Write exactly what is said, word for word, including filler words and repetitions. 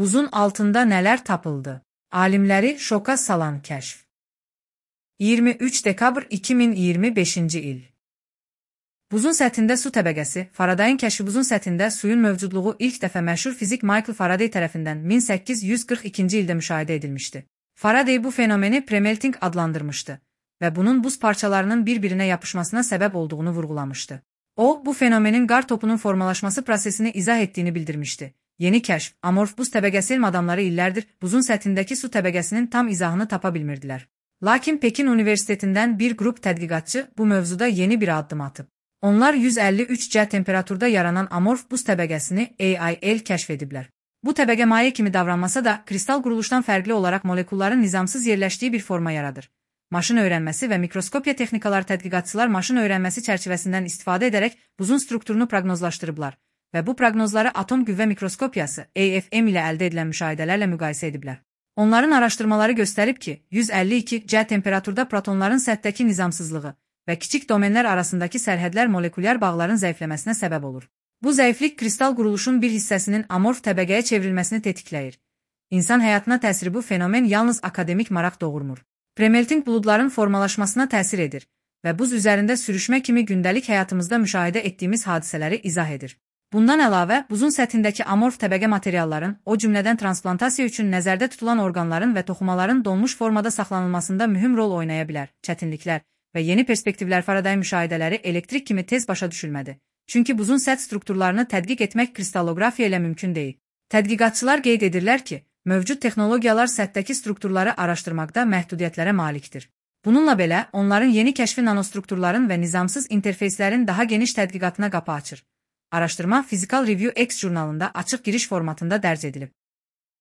Buzun altında nələr tapıldı? Alimləri şoka salan kəşf. iyirmi üç dekabr iki min iyirmi beşinci il. Buzun səthində su təbəqəsi. Faradayın kəşfi buzun səthində suyun mövcudluğu ilk dəfə məşhur fizik Michael Faraday tərəfindən min səkkiz yüz qırx ikinci ildə müşahidə edilmişdi. Faraday bu fenomeni premelting adlandırmışdı və bunun buz parçalarının bir-birinə yapışmasına səbəb olduğunu vurğulamışdı. O, bu fenomenin qar topunun formalaşması prosesini izah etdiyini bildirmişdi. Yeni kəşf, amorf buz təbəqəsi elm adamları illərdir buzun səthindəki su təbəqəsinin tam izahını tapa bilmirdilər. Lakin Pekin Universitetindən bir qrup tədqiqatçı bu mövzuda yeni bir addım atıb. Onlar yüz əlli üç C temperaturda yaranan amorf buz təbəqəsini A I L kəşf ediblər. Bu təbəqə maye kimi davranmasa da, kristal quruluşdan fərqli olaraq molekulların nizamsız yerləşdiyi bir forma yaradır. Maşın öyrənməsi və mikroskopiya texnikaları tədqiqatçılar maşın öyrənməsi çərçivəsindən istifadə edərək buzun strukturunu proqnozlaşdırıblar və bu proqnozları atom qüvvə mikroskopiyası A F M ilə əldə edilən müşahidələrlə müqayisə ediblər. Onların araşdırmaları göstərib ki, yüz əlli iki C temperaturda protonların səthdəki nizamsızlığı və kiçik domenlər arasındakı sərhədlər molekulyar bağların zəifləməsinə səbəb olur. Bu zəiflik kristal quruluşun bir hissəsinin amorf təbəqəyə çevrilməsini tetikləyir. İnsan həyatına təsiri bu fenomen yalnız akademik maraq doğurmur. Premelting buludların formalaşmasına təsir edir və buz üzərində sürüşmə kimi gündəlik həyatımızda müşahidə etdiyimiz hadisələri izah edir. Bundan əlavə, buzun səthindəki amorf təbəqə materialların, o cümlədən transplantasiya üçün nəzərdə tutulan orqanların və toxumaların donmuş formada saxlanılmasında mühüm rol oynaya bilər. Çətinliklər və yeni perspektivlər Faraday müşahidələri elektrik kimi tez başa düşülmədi. Çünki buzun səth strukturlarını tədqiq etmək kristallografiya ilə mümkün deyil. Tədqiqatçılar qeyd edirlər ki, mövcud texnologiyalar səthdəki strukturları araşdırmaqda məhdudiyyətlərə malikdir. Bununla belə, onların yeni kəşfi nanostrukturların və nizamsız interfeyslərin daha geniş tədqiqatına qapı açır. Araşdırma Physical Review X jurnalında açıq giriş formatında dərc edilib.